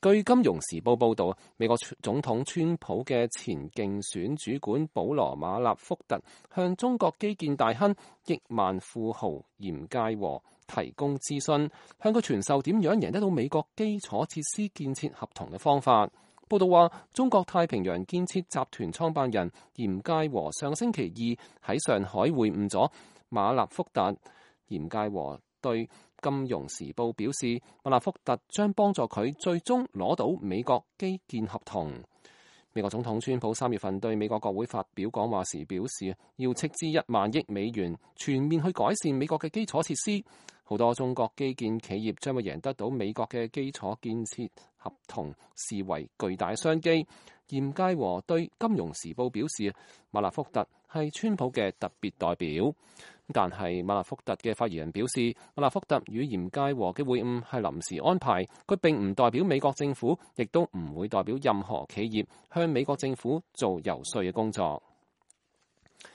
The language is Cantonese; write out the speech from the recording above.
據《金融時報》報導，美國總統川普嘅前競選主管保羅·馬納福特向中國基建大亨億萬富豪嚴介和提供諮詢，向佢傳授點樣贏得到美國基礎設施建設合同嘅方法。報導話，中國太平洋建設集團創辦人嚴介和上星期二喺上海會晤咗馬納福特。嚴介和對金融時報表示，馬納福特將幫助佢最終攞到美國基建合同。美國總統川普3月份對美國國會發表講話時表示，要斥資1萬億美元全面去改善美國嘅基礎設施。好多中國基建企業將會贏得到美國嘅基礎建設合同，視為巨大商機。嚴介和對金融時報表示，馬納福特係川普嘅特別代表。但係馬納福特嘅發言人表示，馬納福特與嚴介和嘅會晤係臨時安排，佢並唔代表美國政府，亦都唔會代表任何企業向美國政府做游說嘅工作。